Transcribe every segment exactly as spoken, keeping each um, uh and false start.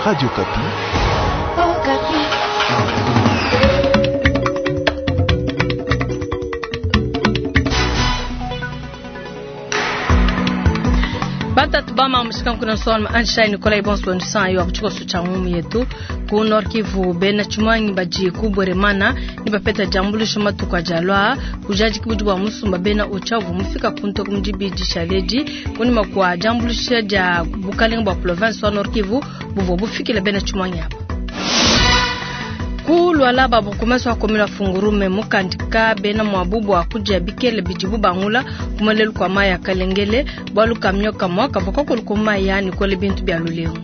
Radio Okapi. Batatu bama mushika kuna son Anshai Nikolai Bonso nsan yo kuchiko cha ngumu yetu ku Nord Kivu bena chumwangi baji kubweremana ni bapeta jambulisho matuka jalwa kujaji kibuji bwa musumba bena uchavu mufika kunto kumjibiji shaleji kuni makwa jambulisho ja bukalenga bwa province wa Nord Kivu buvo bufikile bena chumwangi hapa kulwala babukumesa wakomela fungurume mukandika bena mwabubu akuja bikele bijibu bangula kumalelu kwa maya kalengele bwalu kamnyoka mwaka vokokolu kumaya nikole bintu bya lulengo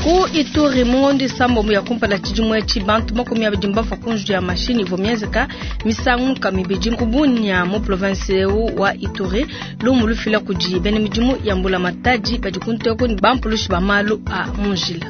ku Ituri mungondi sambo ya kumpala chijimwe chibantu makumi abidi mbafa kunju ya mashini vomyenzeka misangu kamibiji kubunya mu province wa Ituri lumu lufila kuji bene mijimu ya mbula mataji bajikunteko ni bampulushi bamalu a munjila.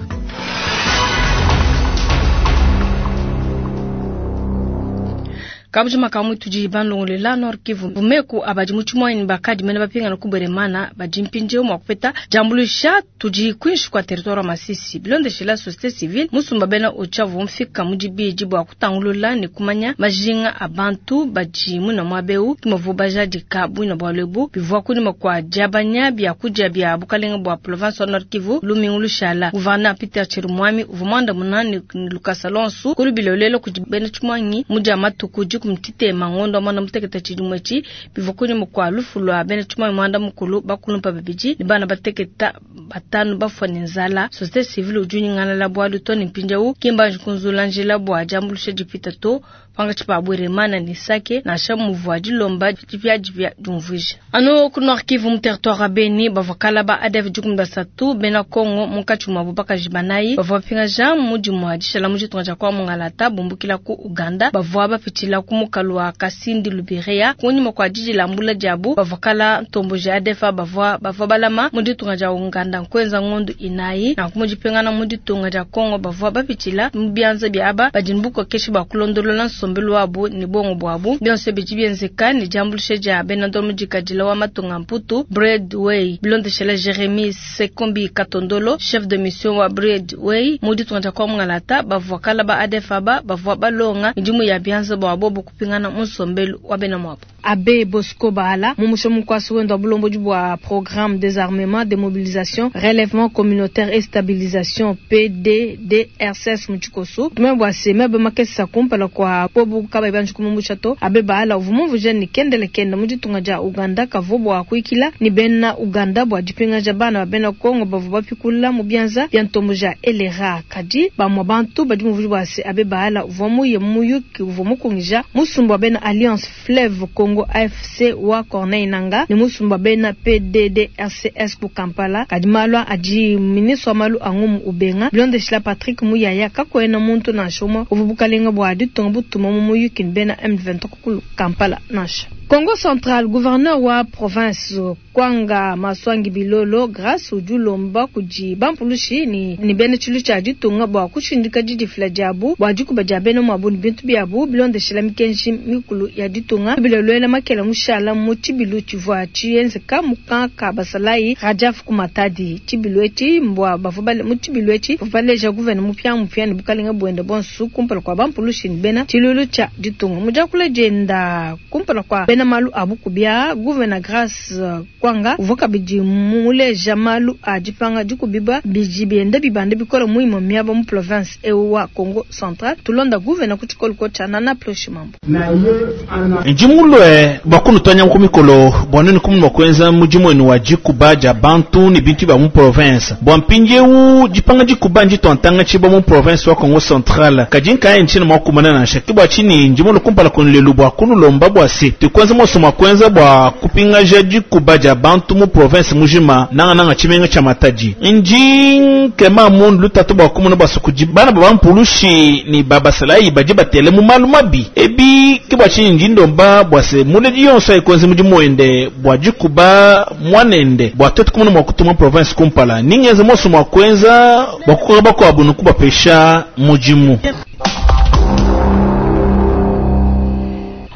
Kabujima kamwe tuji banlongolela Nord Kivu bumeku abaji muchumwa bakadi mena bapinga kubweremana baji mpinje mwa kupeta jambulisha tuji kwinshi kwa territoire Masisi bilondeshela société civile musumba bena ochavu mfika mujibiji bwa kutangulula ni kumanya majinga abantu baji muna mwabeu kimovu bajaji kabu na bwalebu bivwa kuni kwa jabanya bya kuja bya bukalenga bwa province wa Nord Kivu lumingulu shala gouverneur Peter Chirimwami uvumanda munani Lucas Alonso kulubilolelo kujibena chumwangi muja matuku kumtite mangondo mwana muteketa chidimwechi bivokuni mukwa lufu lwa bene chuma mwanda mukulu bakulumpa babiji ni bana bateketa batanu bafwa ni nzala société civile ujuni ngana la bwa lutoni mpinja kimba nkunzula njila bwa jambulusha jipita to panga chipa bweremana ni sake na sha muvwa dilomba jipya jipya jumvija ano ku Nord Kivu mu territoire Beni bavakala ba A D F jukum basatu bena Kongo munkachi mwa bubaka jibanayi bavwa pinga jam muji mwa dishala muji tunga kwa mungalata bumbukila ku Uganda bavwa bapitila kumukalwa Kasindi Lubiria kunyuma kwa jiji la mbula jabu bavakala ntombo ja A D F bavwa bavwa balama muji tunga ja Uganda kwenza ngondu inayi na kumujipengana muji tunga ja Kongo bavwa bapitila mubyanza byaba bajimbuko keshi bakulondolola nsombelu wabu ni bongo bwabu byonse bijibyenzeka ni jambulishe ja benando mujikajila wa matunga mputu Breadway bilondeshela Jeremy Sekombi Katondolo chef de mission wa Breadway muji tunga ja kwa mungalata bavwa kala ba A D F aba bavwa balonga njimu ya byanza bwabo kupingana musombelu wa bena mwapo. Abbé Bosco Bahala mumusho mukwasi wendo bulombo bwa programme désarmement démobilisation relèvement communautaire et stabilisation P D D R C S muchikoso tumebwa sema be makesa kumpala kwa pobu kaba banju kumumushato Abbé Bahala uvumu vujeni kendele kenda mujitunga ja Uganda kavobwa kuikila ni bena Uganda bwa jipinga ja bana bena Kongo bavu bapikula mu byanza bya ntombo ja elera kadi ba mwabantu badi muvuji se Abbé Bahala uvumu ye muyuki uvumu kungija musumba bena Alliance Fleuve Congo A F C wa Corneille Nanga ni musumba bena P D D R C S ku Kampala kadimalwa aji ministre malu angumu ubenga bilondeshila Patrick Muyaya kakwena muntu na shoma uvubukalenga bwa ditonga butuma mu muyuki bena M vingt-trois ku Kampala nasha Congo Central, gouverneur wa province Kwanga Maswangi Bilolo grâce ujulomba kuji bampulushi ni ni bene chilu cha ditunga bwa kushindika didifila jabu bwa dikuba ja bene mwabu ni bintu byabu bilondeshela mikenji mikulu ya ditunga bilolwela makela mushala mu chibilu chivwa chienzeka mukanka basalai Rajaf kumatadi chibilu eti mbwa bavubale mu chibilu eti bavaleja gouverneur mupya mupya ni bukalenga bwenda bonsu kumpala kwa bampulushi ni bena chilulu cha ditunga mujakula jenda kumpala kwa bena malu abukubya gouverneur Grace uh, Kwanga uvoka biji muleja malu ajipanga dikubiba biji bienda bibande bikola muimo miaba mu province ewa Congo Central tulonda gouverneur kuchikolo kocha nana ploshi mambo Njimulwe bakunu tonya kumikolo bwanuni kumu kwenza mujimwenu wa jikuba ja bantu ni bintu ba mu province bwampinje u jipanga jikuba njitontanga chiba mu province wa Congo Central kajinka nchini mwakumana na shakibwa chini njimulu kumpala kunlelu bwa kunu lomba bwa se tukwenza mosoma kwenza bwa kupinga ja jikuba ja bantu mu province mujima nanga nanga chimenga cha Matadi nji kema mundu lutatu bwa kumuna bwa sukuji bana baba mpulushi ni baba salai baje batele mu malu mabi ebi kibwa chini njindomba bwa se muledi yonso ikonzi muji mwende bwa jikuba mwanende bwa tetu kumuna mwa kutuma province kumpala ningenze mosoma kwenza bwa kukoba kwa bunu kubapesha mujimu.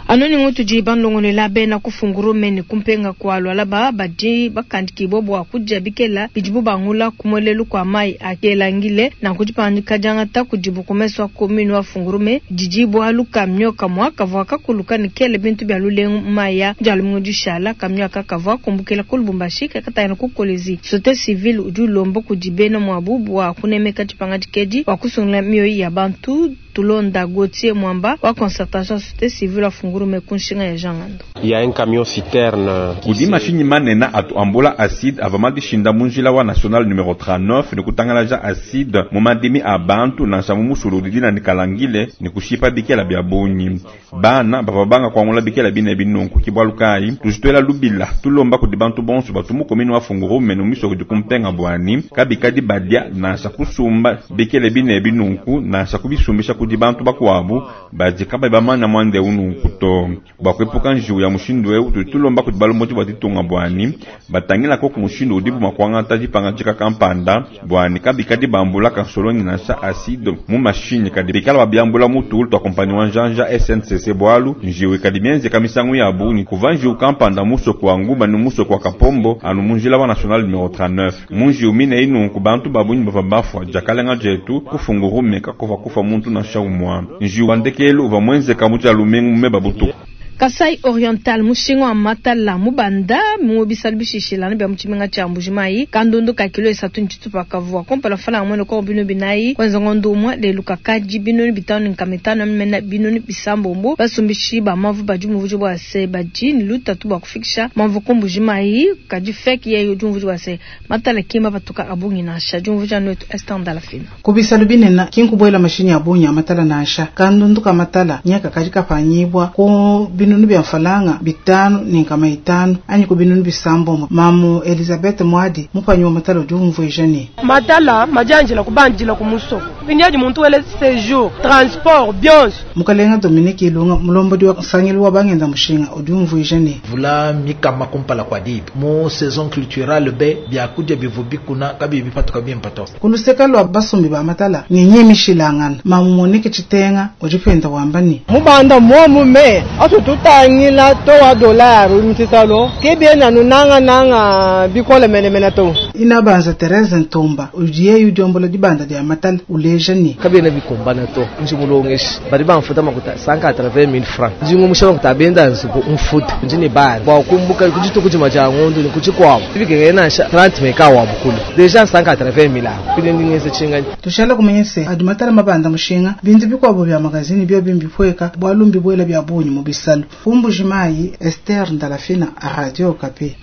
Anu ni ngutudi banlongolela bena ku Fungurume ne kumpenga kua Lualaba badi bakandikibwa bua kudia bikela bidibu bangula ku muelelu kua mayi a Kelangile nanku dipangika diangata kudibu ku mesu a commune wa Fungurume didi bualu kamio kamua kavua kakuluka ne kele bintu bia lulengu mu mayi a dia lumingu dishala. Kamio aka kavua kumbukila ku Lubumbashi kakatangila ku Kolwezi. Société civile udi ulomba kudi bena muabu bua kunemeka dipanga dikedi bua kusungula mioyo ya bantu. Tulonda Gauthier Mwamba wa concertation société civile wa Fungurume ku nshinga ya Jean Ngando. Il y a un camion citerne kudi mashinyi manene atu ambula acide ava madishinda mu njila wa national numero trente-neuf ne kutangalaja acide mu madimi a bantu nansha mu musulu didina ne kalangile ne kushipa bikela bia bungi. Bana bava banga kuangula bikela bine binunku kibwalu kayi tujitwela lubila tulomba kudi bantu bonso batu mu commune wa Fungurume no misoko di kumpenga bwani kabikadi badia nansha kusumba bikele bine binunku nansha kubisumbisha kudi bantu bakuabu badi kabayi bamanya mwande ununku to. Bua kuepuka njiwu ya mushindu eu tudi tulomba kudi balombodi bua ditunga bwani batangila koku mushindu udibu mua kuangata dipangadika kampanda bwani kabikadi bambula kansolongi nansha acide mu mashinyi kadi bikala babiambula mu tulu tua kompani wa njanja S N C C bwalu njiwu ikadi mienzeka misangu ya bungi kuva njiwu kampanda musoko wa Nguba ne musoko wa Kapombo anu mu njila wa national numero trente-neuf. Mu njiwu mine inunku bantu babungi bava bafua diakalenga dietu kufungurume kakova kufa muntu nansha umwa. Njiwu wa ndekelu uva muenzeka mu dia lumingu mu meba butuku. Kasai Oriental mushinga wa matala mubanda mu bisalu bishishilana bya mu tshimenga tshia Mbujimayi kandundu ka kilo esatu ntshitupa kavua kompala fala mwene ko bino binayi kwenza ngondo umwe lelu kakadi bino bitano nkama itano mena bino bisambombo basumbishi ba mavu badi mu buji bwa se badi ni lutatu bwa kufikisha mavu ku Mbujimayi kadi fake ye udi mu buji bwa se matala kima batuka abungi nansha jumvuja nwetu Esther Ndalafina. Ku bisalu binena kinkubwela mashinyi abungi amatala nansha kandundu ka matala nyaka kadi kapanyibwa ku bino binunu bya mfalanga bitano ni nkama itano anyi ku binunu bisambombo. Mamu Elizabeth Mwadi mupanyi wa matala udi umvuija ne matala majanjila kubanjila ku musoko pindiaji muntu wele séjour transport bionso. Mukalenga Dominique Ilunga mulombodi wa nsangilu wa bangenda mushinga udi umvuija ne vula mikama kumpala kwa dibi mu saison culturelle be byakudia bivubi kuna kabi bipatuka bimpato kuluseka lwa basumbi ba matala ngenye mishilangana. Mamu Monique Chitenga udi penda wamba ne mubanda momu me atu tutangila to wa dollar mtisalo kebe na nunanga nanga bikola mene mene to. Inabanza Therese Ntomba udiye yudiombola dibanda dia matala uleja ni kabe na bikombana to njimulongeshi bari bamfuta makuta cent quatre-vingt mille francs njingo mushaba kutabenda nzubu mfuta njini bana bwa kumbuka kujitu kujima ja ngondo ni kuchikwabo ibigenge nasha trente meka wa bukulu deja cent quatre-vingt mille pide ndingeze chinga tushala kumenyese adi matala mabanda mushinga bintu bikwabo bya magazini byo bimbipweka bwalumbi bwela bya bunyi mu bisalu. Mbujimayi Esther Ndalafina a Radio Okapi.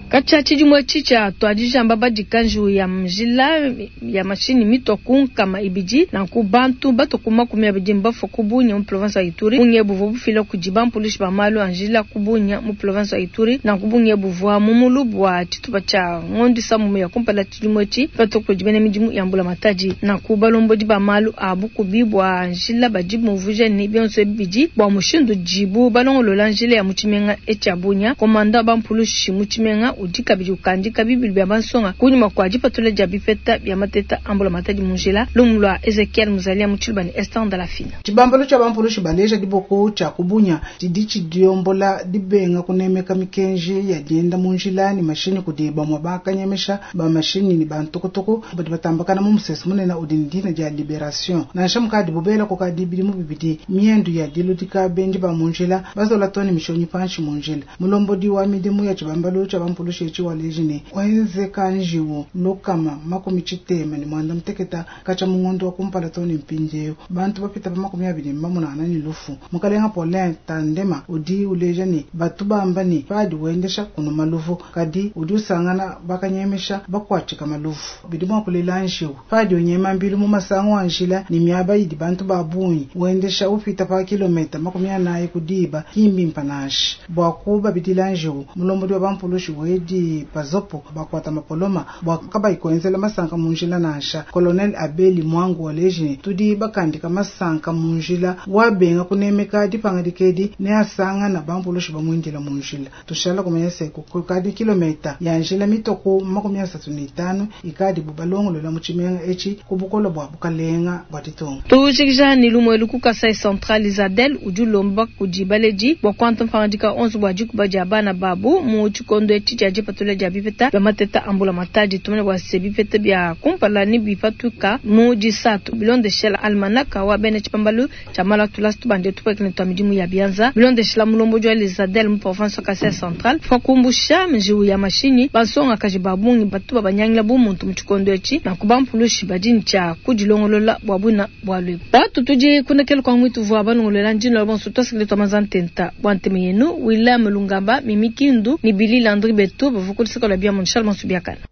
Kacha chidimwe chicha twajijamba badikanju ya mjila ya mashini mitoku nkama ibidi na kubantu batokuma kumya bidimba fokubunya mu province ya Ituri unye buvo bufila kujiba mpulishi ba malu anjila kubunya mu province ya Ituri na kubunye buvwa mumulu bwa chitupa cha ngondi samu ya kumpala chidimwe chi batoko jibene midimu ya mbula mataji na kubalombo diba malu abukubi bwa anjila bajibu muvuje ni bionso bidi bwa mushindu jibu balongolola njila ya muchimenga echabunya komanda ba mpulushi muchimenga udika bidi ukandika bibili bya bansonga kunyuma kwa dipatula dia bipeta bya mateta ambula matadi munjila lumulwa Ezekiel Muzalia muchilubani Esther Ndalafina. Chibambalo cha bampulushi baleja diboko cha kubunya didichi diombola dibenga kunemeka mikenji ya dienda munjila ni mashini kudiba mwabaka nyemesha ba mashini ni bantukutuku badi batambakana mu musese munene udindina dia liberation nansha mukadi bubela kokadi bidi mu bibidi miendu ya diludika benji ba munjila bazola toni mishonyi panshi munjila mulombodi wa midimu ya chibambalo cha bampulushi shechi wa lejine wenze kanjiwo lokama makumi chitema ni mwanda mteketa kacha mungondo wa kumpala toni mpinjeyo bantu bapita pa makumi abili mbamunana ni lufu mukalenga Paulin Tandema udi uleja ni batu bamba ni padi wendesha kuno maluvu kadi udi usangana bakanyemesha bakwachika maluvu bidi mwa kulela njiwu padi unyema mbilu mu masango anjila ni miaba idi bantu babunyi wendesha upita pa kilomita makumi anayi kudiba kimbi mpanashi bwa kuba bidila njiwu mulombodi wa bampulushi wedi di pazopo bakwata mapoloma bwa kabayi kwenzela masanka munjila nansha colonel Abeli Mwangu waleji ne tudi bakandika masanka munjila wabenga kunemeka dipanga dikedi ne asanga na bampulushi bamwindila munjila tushala kumanya se kukadi kilomita ya njila mitoko makumi asatu ne itanu ikadi bubalongolola mu tshimenga etshi ku bukolo bwa bukalenga bwa ditunga tujikija ni lumwe lu ku Kasai Central Isabel udi ulomba kudi baledi bua kuanta mpangadika onso bua dikuba dia bana babu mu tshikondo etshi tshia dipatula dia bipeta bia mateta ambula matadi tumene bua se bipeta bia kumpala ni bipatuka mu disatu bilondeshela almanaka wa bena tshipambalu tshia malu atulasi tubande tupwekene twa midimu ya bianza bilondeshela mulombo wa Isabel mu province wa Kasai Central fa kumbusha njiwu ya mashinyi bansonga kaji babungi batu babanyangila bu muntu mu tshikondo etshi na kubampulushi badini tshia kudilongolola bua buna bua lwebu batu tudi kunekele kwa mwitu vua balongolola ndino la bonso twasikile twa mazantenta bua nteme yenu William Lungamba Mimi Kindu ni Billy Landry Beto bavukulisaka la bia mon Charles Mansubiakana.